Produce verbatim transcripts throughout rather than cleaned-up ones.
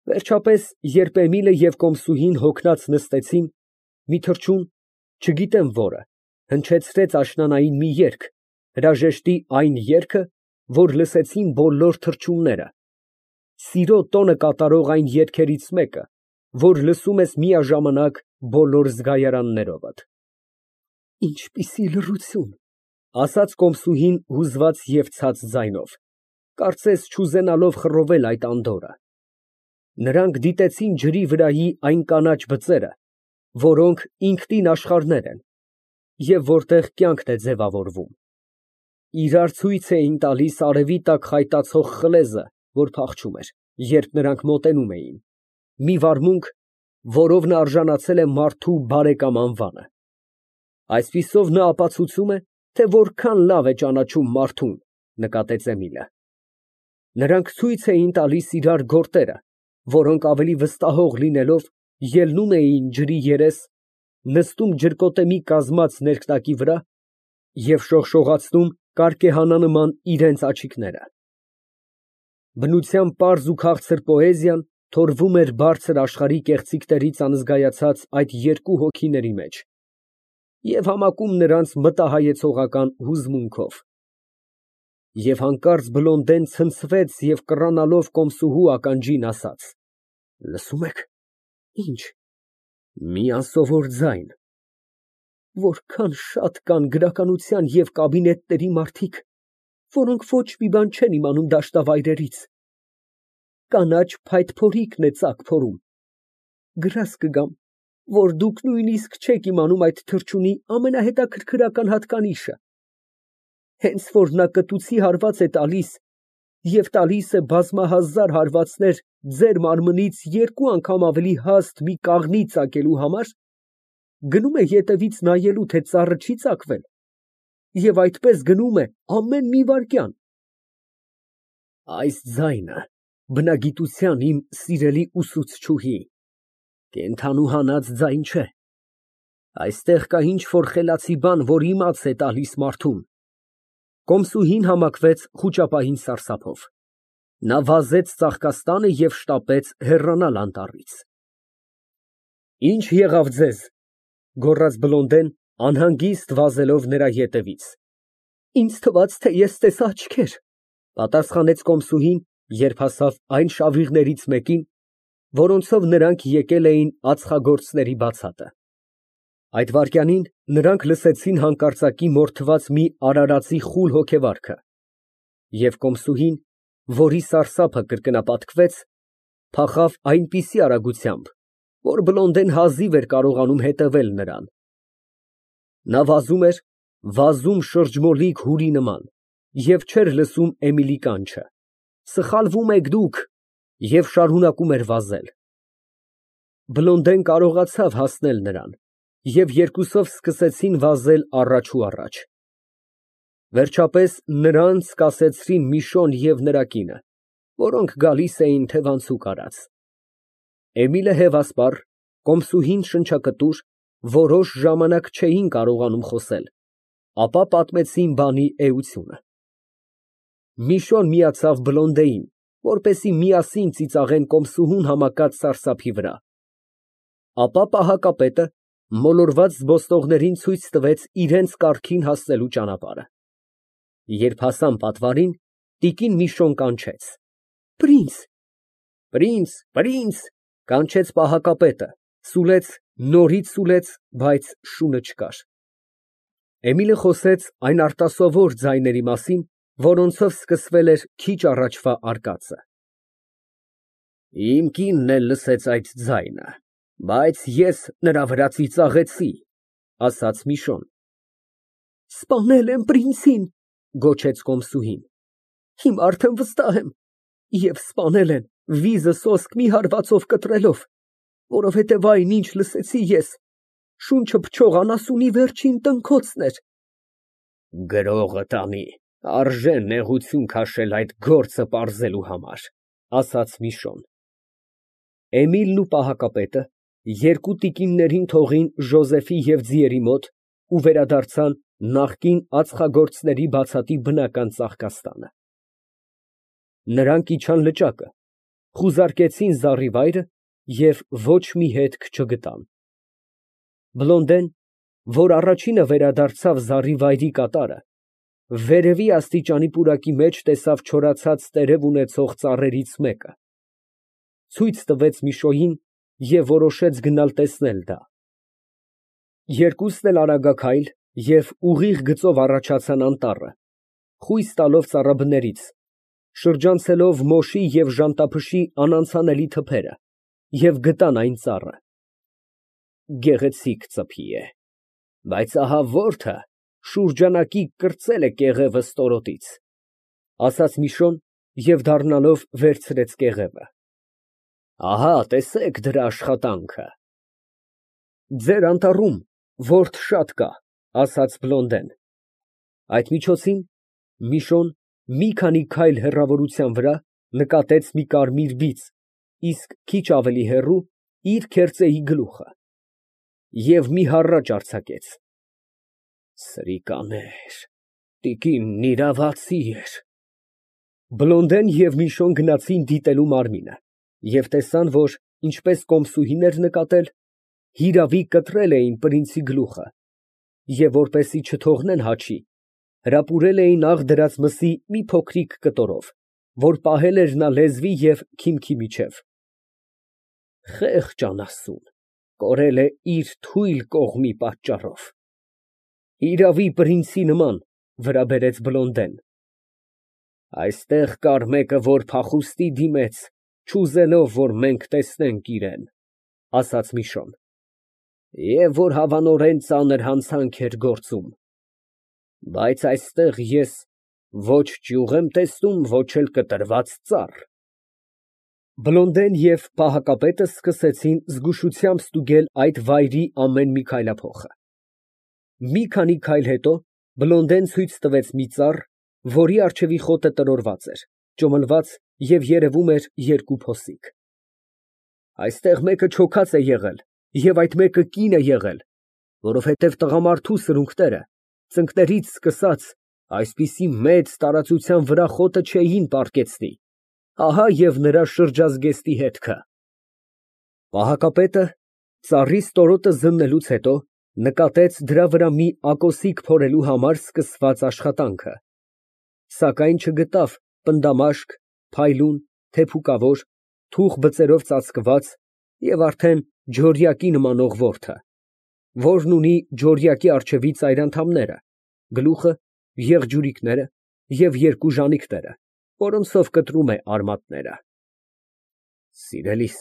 Վերջապես, երբ Էմիլը և կոմսուհին հոգնած նստեցին, մի թռչուն, չգիտեմ որը, հնչեցրեց աշնանային մի երգ, հրաժեշտի այն երգը, որ լսեցին բոլոր թռչունները, սիրո տոնը կատարող այն երգերից մեկը, որ լսում ես միաժամանակ բոլոր զգայարաններովդ։ Ինչպիսի լռություն, ասաց կոմսուհին հուզված և ցած ձայնով, կարծես չուզենալով խռովել այդ անդորրը։ Նրանք դիտեցին ջրի վրայի այն կանաչ բծերը, որոնք ինքնին աշխարհներ են, և որտեղ կյանքն է ձևավորվում, իրար ցույց էին տալիս արևի տակ խայտացող խլեզը, որ փախչում էր, երբ նրանք մոտենում էին, մի վարմունք, որով նա արժանացել է մարդու բարեկամ անվանը։ Այսպիսով նա ապացուցում է, թե որքան լավ է ճանաչում մարդուն, նկատեց Էմիլը։ Նրանք ցույց էին տալիս իրար գորտերը, որոնք ավելի վստահող լինելով, ելնում էին ջրի երես, նստում ջրկոտեմի կազմած ներքնակի վրա և շողշողացնում կարկեհանանման իրենց աչիկները։ Բնության պարզ ու քաղցր պոեզիան թորվում էր բարձր աշխարհի կեղծիքներից անզգայացած այդ երկու հոգիների մեջ և համակում նրանց մտահայեցողական հուզմունքով։ Եվ հանկարծ Բլոնդեն ցնցվեց և կռանալով կոմսուհու ականջին, ասաց. Լսո՞ւմ եք։ Ի՞նչ։ Մի անսովոր ձայն։ Որքան շատ կան գրականության և կաբինետների մարդիկ, որոնք ոչ մի բան չեն իմանում դաշտավայրերից։ Կանաչ փայտփորիկն է ծակ փորում։ Գրազ կգամ, որ դուք նույնիսկ չեք իմանում այդ թռչունի ամենահետաքրքրական հատկանիշը։ Հենց որ նա կտուցի հարված է տալիս և տալիս է բազմահազար հարվածներ ձեր մարմնից երկու անգամ ավելի հաստ մի կաղնի ծակելու համար, գնում է ետևից նայելու, թե ծառը չի ծակվել, և այդպես գնում է ամեն մի վայրկյան։ Այս ձայնը բնագիտության իմ սիրելի ուսուցչուհի, կենդանու հանած ձայն չէ։ Այստեղ կա ինչ֊որ խելացի բան, որ իմաց է տալիս մարդուն։ Կոմսուհին համակվեց խուճապահին սարսափով։ Նա վազեց ծաղկաստանը և շտապեց հեռանալ անտառից։ Ի՞նչ եղավ ձեզ, գոռաց Բլոնդեն, անհանգիստ վազելով նրա ետևից։ Ինձ թվաց, թե ես տեսա աչքեր, պատասխանեց կոմսուհին, երբ հասավ այն շավիղներից մեկին, որոնցով նրանք եկել էին ածխագործների բացատը։ Այդ վայրկյանին նրանք լսեցին հանկարծակի մորթված մի արարածի խուլ հոգևարքը, և կոմսուհին, որի սարսափը կրկնապատկվեց, փախավ այնպիսի արագությամբ, որ Բլոնդեն հազիվ էր կարողանում հետևել նրան։ Նա վազում էր, վազում շրջմոլիկ հուրի նման, և չէր լսում Էմիլի կանչը. «Սխալվում եք դուք», և շարունակում էր վազել։ Բլոնդեն կարողացավ հասնել նրան, և երկուսով սկսեցին վազել առաջ ու առաջ։ Վերջապես նրանց կասեցրին Միշոն և նրա կինը, որոնք գալիս էին թևանցուկ արած։ Էմիլը հևասպառ, կոմսուհին շնչակտուր, որոշ ժամանակ չէին կարողանում խոսել, ապա պատմեցին բանի էությունը։ Միշոն միացավ Բլոնդեին, որպեսզի միասին ծիծաղեն կոմսուհուն համակած սարսափի վրա։ Ապա պահակապետը մոլորված զբոսնողներին ցույց տվեց իրենց կառքին հասնելու ճանապարհը։ Երբ հասան պատվարին, տիկին Միշոն կանչեց. Պրինց։ Պրինց, պրինց, կանչեց պահակապետը, սուլեց, նորից սուլեց, բայց շունը չկար։ Էմիլը խոսեց այն արտասովոր ձայների մասին, որոնցով սկսվել էր քիչ առաջվա արկածը։ Իմ կինն էլ լսեց այդ ձայնը, բայց ես նրա վրա ծիծաղեցի, ասաց Միշոն։ Սպանել են պրինցին, գոչեց կոմսուհին։ Հիմա արդեն վստահ եմ, և սպանել են վիզը սոսկ մի հարվածով կտրելով, որովհետև այն, ինչ լսեցի ես, շունչը փչող անասունի վերջին տնքոցն էր։ Գրողը տանի, արժե նեղություն քաշել այդ գործը պարզելու համար, ասաց Միշոն։ Էմիլն ու պահակապետը երկու տիկիններին թողին Ժոզեֆի և ձիերի մոտ ու վերադարձան նախկին ածխագործների բացատի բնական ծաղկաստանը։ Նրանք իջան լճակը, խուզարկեցին զառիվայրը և ոչ մի հետք չգտան։ Բլոնդեն, որ առաջինը վերադարձավ զառիվայրի կատարը, վերևի աստիճանի պուրակի մեջ տեսավ չորացած տերև ունեցող ծառերից մեկը, ցույց տվեց Միշոյին և որոշեց գնալ տեսնել դա։ Երկուսն էլ արագաքայլ և ուղիղ գծով առաջացան անտառը, խույս տալով ծառաբներից, շրջանցելով մոշի և ժանտափշի անանցանելի թփերը, և գտան այն ծառը։ Գեղեցիկ ծփի է, բայց ահա որդը շուրջանակի կրծել է կեղևը ստորոտից, ասաց Միշոն և դառնալով վերցրեց կեղևը։ Ահա տեսեք դրա աշխատանքը։ Ձեր անտառում որդ շատ կա, ասաց Բլոնդեն։ Այդ միջոցին Միշոն մի քանի քայլ հեռավորության վրա նկատեց մի կարմիր բիծ, իսկ քիչ ավելի հեռու իր քերծեի գլուխը և մի հառաչ արձակեց։ Սրիկաներ, տիկինն իրավացի էր։ Բլոնդեն և Միշոն գնացին դիտելու մարմինը և տեսան, որ, ինչպես կոմսուհին էր նկատել, հիրավի կտրել էին պրինցի գլուխը և, որպեսզի չթողնեն հաչի, հրապուրել էին աղ դրած մսի մի փոքրիկ կտորով, որ պահել էր նա լեզվի և քիմքի միջև։ Խեղճ անասուն, կորել է իր թույլ կողմի պատճառով։ Իրավի պրինցի նման, վրա բերեց Բլոնդեն։ Այստեղ կար մեկը, որ փախուստի դիմեց, չուզելով, որ մենք տեսնենք իրան, ասաց Միշոն, և որ հավանորեն ծանր հանցանք էր գործում, բայց այստեղ ես ոչ ճյուղ եմ տեսնում, ոչ էլ կտրված ծառ։ Բլոնդեն և պահակապետը սկսեցին զգուշությամբ ստուգել այդ վայրի ամեն մի քայլափոխը։ Մի քանի քայլ հետո Բլոնդեն ցույց տվեց մի ծառ, որի առջևի խոտը տրորված էր, ճոմլված և երևում էր երկու փոսիկ։ Այստեղ մեկը չոքած է եղել և այդ մեկը կին է եղել, որովհետև տղամարդու սրունքները, ծնկներից սկսած, այսպիսի մեծ տարածության վրա խոտը չէին պառկեցնի, ահա և նրա շրջազգեստի հետքը։ Պահակապետը ծառի ստորոտը զննելուց հետո նկատեց դրա վրա մի ակոսիկ փորելու համար սկսված աշխատանքը, սակայն չգտավ պնդամաշկ, փայլուն, թեփուկավոր, թուխ բծերով ծածկված և արդեն ջորյակի նմանող որդը, որն ունի ջորյակի առջևի ծայրանդամները, գլուխը, եղջյուրիկները և երկու ժանիքները, որոնցով կտրում է արմատները։ Սիրելիս,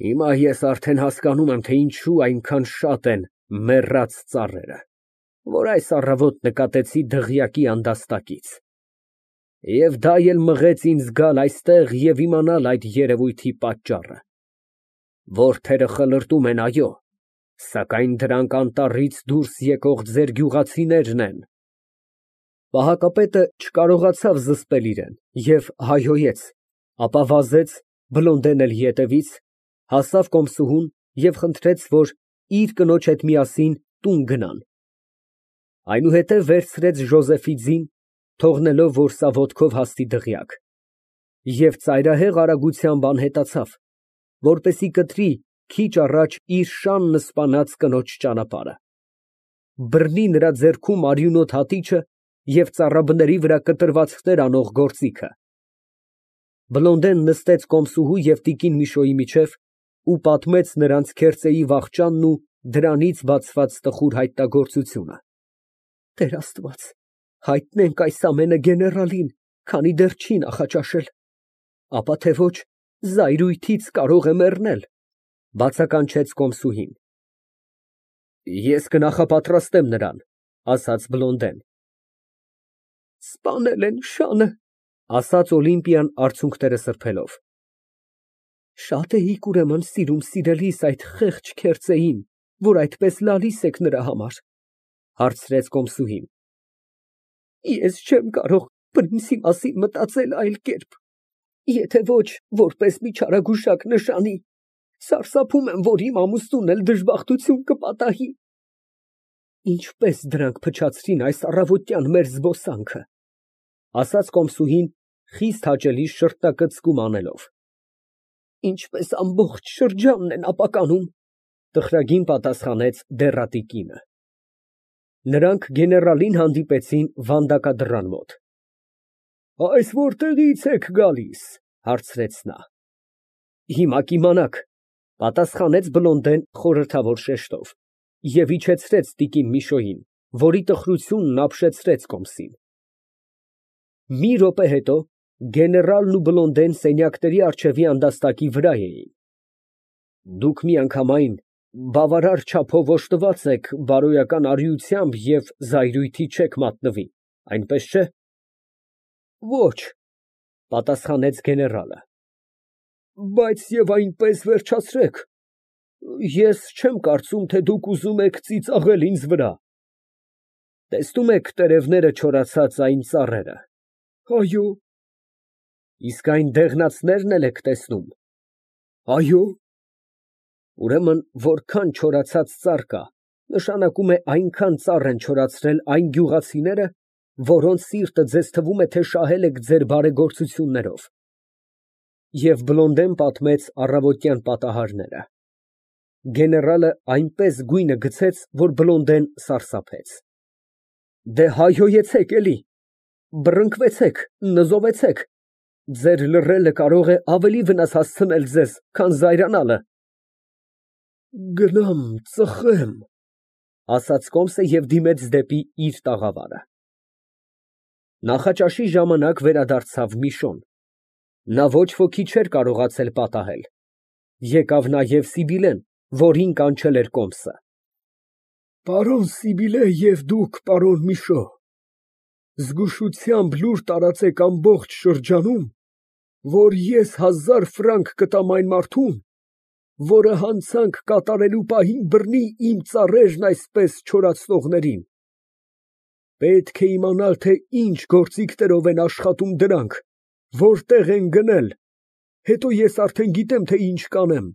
հիմա ես արդեն հասկանում եմ, թե ինչու այնքան շատ են մեռած ծառերը, որ այս առավոտ նկատեցի դղյակի անդաստակից, և դա էլ մղեց ինձ գալ այստեղ և իմանալ այդ երևույթի պատճառը։ Որդերը խլրտում են, այո, սակայն դրանք անտառից դուրս եկող ձեր գյուղացիներն են։ Պահակապետը չկարողացավ զսպել իրան և հայհոյեց, ապա վազեց, Բլոնդեն էլ ետևից, հասավ կոմսուհուն և խնդրեց, որ իր կնոջ հետ միասին տուն գնան։ Այնուհետև վերցրեց Ժոզեֆի ձին, թողնելով, որ սա ոտքով հասնի դղյակ, և ծայրահեղ արագությամբ անհետացավ, որպեսզի կտրի քիչ առաջ իր շանն սպանած կնոջ ճանապարհը, բռնի նրա ձեռքում արյունոտ հատիչը և ծառաբների վրա կտրվածքներ անող գործիքը։ Բլոնդեն նստեց կոմսուհու և տիկին Միշոյի միջև ու պատմեց նրանց քերծեի վախճանն ու դրանից բացված տխուր հայտնագործությունը։ Տեր Աստված, հայտնենք այս ամենը գեներալին, քանի դեռ չի նախաճաշել, ապա թե ոչ զայրույթից կարող է մեռնել, բացականչեց կոմսուհին։ Ես կնախապատրաստեմ նրան, ասաց Բլոնդեն։ Սպանել են շանը, ասաց Օլիմպիան արցունքները սրբելով։ Շատ էիք ուրեմն սիրում սիրելիս այդ խեղճ քերծեին, որ այդպես լալիս եք նրա համար, հարցրեց կոմսուհին։ Ես չեմ կարող պրինցի մասին մտածել այլ կերպ, եթե ոչ որպես մի չարագուշակ նշանի, սարսափում եմ, որ իմ ամուսնուն էլ դժբախտություն կպատահի։ Ինչպես դրանք փչացրին այս առավոտյան մեր զբոսանքը, ասաց կոմսուհին խիստ հաճելի շրտակցկում անելով։ Ինչպես ամբողջ շրջանն են ապականում, տխրագին պատասխանեց դեռատի կինը։ Նրանք գեներալին հանդիպեցին վանդակադռան մոտ։ Այս որտեղի՞ց եք գալիս, հարցրեց նա։ Հիմա կիմանաք, պատասխանեց Բլոնդեն խորհրդավոր շեշտով և իջեցրեց տիկին Միշոյին, որի տխրությունն ապշեցրեց կոմսին։ Մի րոպե հետո գեներալն ու Բլոնդեն սենյակների առջևի անդաստակի վրա էին։ Դուք միանգամայն բավարար չափով օժտված եք բարոյական արիությամբ և զայրույթի չեք մատնվի, այնպես չէ։ Ոչ, պատասխանեց գեներալը։ Բայց և այնպես վերջացրեք, ես չեմ կարծում, թե դուք ուզում եք ծիծաղել ինձ վրա։ Տեսնո՞ւմ եք տերևները չորացած այն ծառերը։ Այո։ Իսկ այն դեղնածնե՞րն էլ եք տեսնում։ Այո։ Ուրեմն, որքան չորացած ծառ կա, նշանակում է այնքան ծառ են չորացրել այն գյուղացիները, որոնց սիրտը ձեզ թվում է, թե շահել եք ձեր բարեգործություններով։ Եվ Բլոնդեն պատմեց առավոտյան պատահարները։ Գեներալը այնպես գույնը գցեց, որ Բլոնդեն սարսափեց։ Դե հայհոյեցեք էլի, բռնկվեցեք, նզովեցեք, ձեր լռելը կարող է ավելի վնաս հասցնել ձեզ, քան զայրանալը։ Գնամ ծխեմ, ասաց կոմսը և դիմեց դեպի իր տաղավարը։ Նախաճաշի ժամանակ վերադարձավ Միշոն։ Նա ոչ ոքի չէր կարողացել պատահել։ Եկավ նաև Սիբիլեն, որին կանչել էր կոմսը։ Պարոն Սիբիլե և դուք, պարոն Միշո, զգուշությամբ լուր տարածեք ամբողջ շրջանում, որ ես հազար ֆրանկ կտամ այն մարդուն, որը հանցանք կատարելու պահին բռնի իմ ծառերն այսպես չորացնողներին։ Պետք է իմանալ, թե ինչ գործիքներով են աշխատում դրանք, որտեղ են գնել, հետո ես արդեն գիտեմ, թե ինչ կանեմ։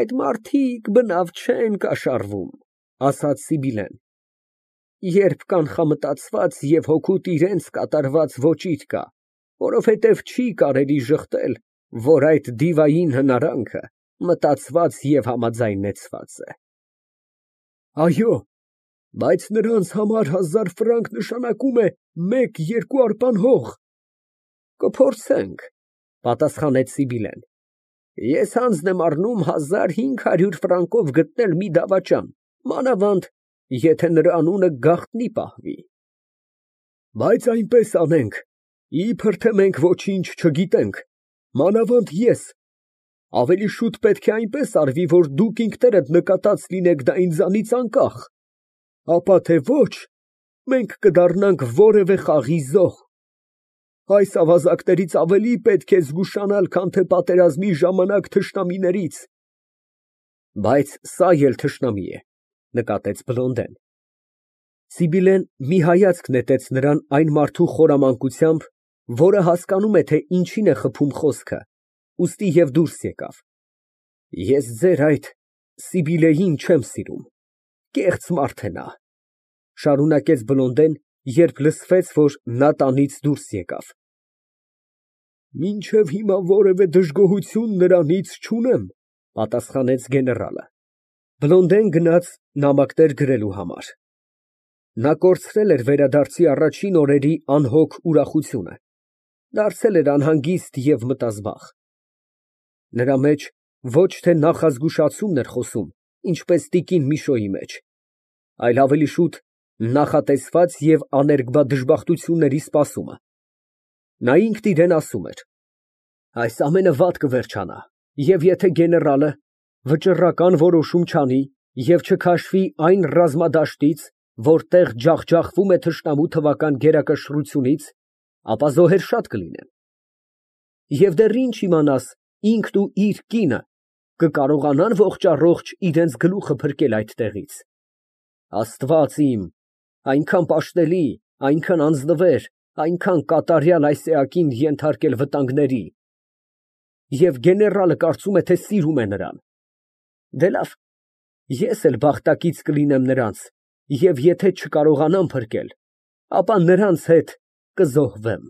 Այդ մարդիկ բնավ չեն կաշառվում, ասաց Սիբիլեն, երբ կանխամտածված և հօգուտ իրենց կատարված ոճիր կա, որովհետև չի կարելի ժխտել, որ այդ դիվային հնարանքը մտածված և համաձայնեցված է։ Այո, բայց նրանց համար հազար ֆրանկ նշանակում է մեկ֊երկու արպան հող։ Կփորձենք, պատասխանեց Սիբիլեն։ Ես հանձն եմ առնում հազար հինգ հարյուր ֆրանկով գտնել մի դավաճան, մանավանդ, եթե նրա անունը գաղտնի պահվի։ Բայց այնպես անենք, իբր թե մենք ոչինչ չգիտենք, մանավանդ ես, ավելի շուտ պետք է այնպես արվի, որ դուք ինքներդ նկատած լինեք դա ինձանից անկախ, ապա թե ոչ, մենք կդառնանք որևէ խաղի զոհ։ Այս ավազակներից ավելի պետք է զգուշանալ, քան թե պատերազմի ժամանակ թշնամիներից։ Բայց սա էլ թշնամի է, նկատեց Բլոնդեն։ Սիբիլեն մի հայացք նետեց նրան այն մարդու խորամանկությամբ, որը հասկանում է, թե ինչին է խփում խոսքը, ուստի և դուրս եկավ։ Ես ձեր այդ Սիբիլեին չեմ սիրում, կեղծ մարդ է նա, շարունակեց Բլոնդեն, երբ լսվեց, որ նա տանից դուրս եկավ։ Մինչև հիմա որևէ դժգոհություն նրանից չունեմ, պատասխանեց գեներալը։ Բլոնդեն գնաց նամակներ գրելու համար։ Նա կորցրել էր վերադարձի առաջին օրերի անհոգ ուրախությունը, դարձել էր անհանգիստ և մտազբաղ։ Նրա մեջ ոչ թե նախազգուշացումն էր խոսում, ինչպես տիկին Միշոյի մեջ, այլ ավելի շուտ նախատեսված և աներկբա դժբախտությունների սպասումը։ Նա ինքն իրան ասում էր. այս ամենը վատ կվերջանա, և եթե գեներալը վճռական որոշում չանի և չքաշվի այն ռազմադաշտից, որտեղ ջախջախվում է թշնամու թվական գերակշռությունից, ապա զոհեր շատ կլինեն։ Եվ դեռ ինչ իմանաս, ինքն ու իր կինը կկարողանա՞ն ողջ֊առողջ իրենց գլուխը փրկել այդ տեղից։ Աստված իմ, այնքան պաշտելի, այնքան անձնվեր, այնքան կատարյալ այս էակին ենթարկել վտանգների։ Եվ գեներալը կարծում է, թե սիրում է նրան։ Դե լավ, ես էլ բախտակից կլինեմ նրանց, և եթե չկարողանամ փրկել, ապա նրանց հետ կզոհվեմ։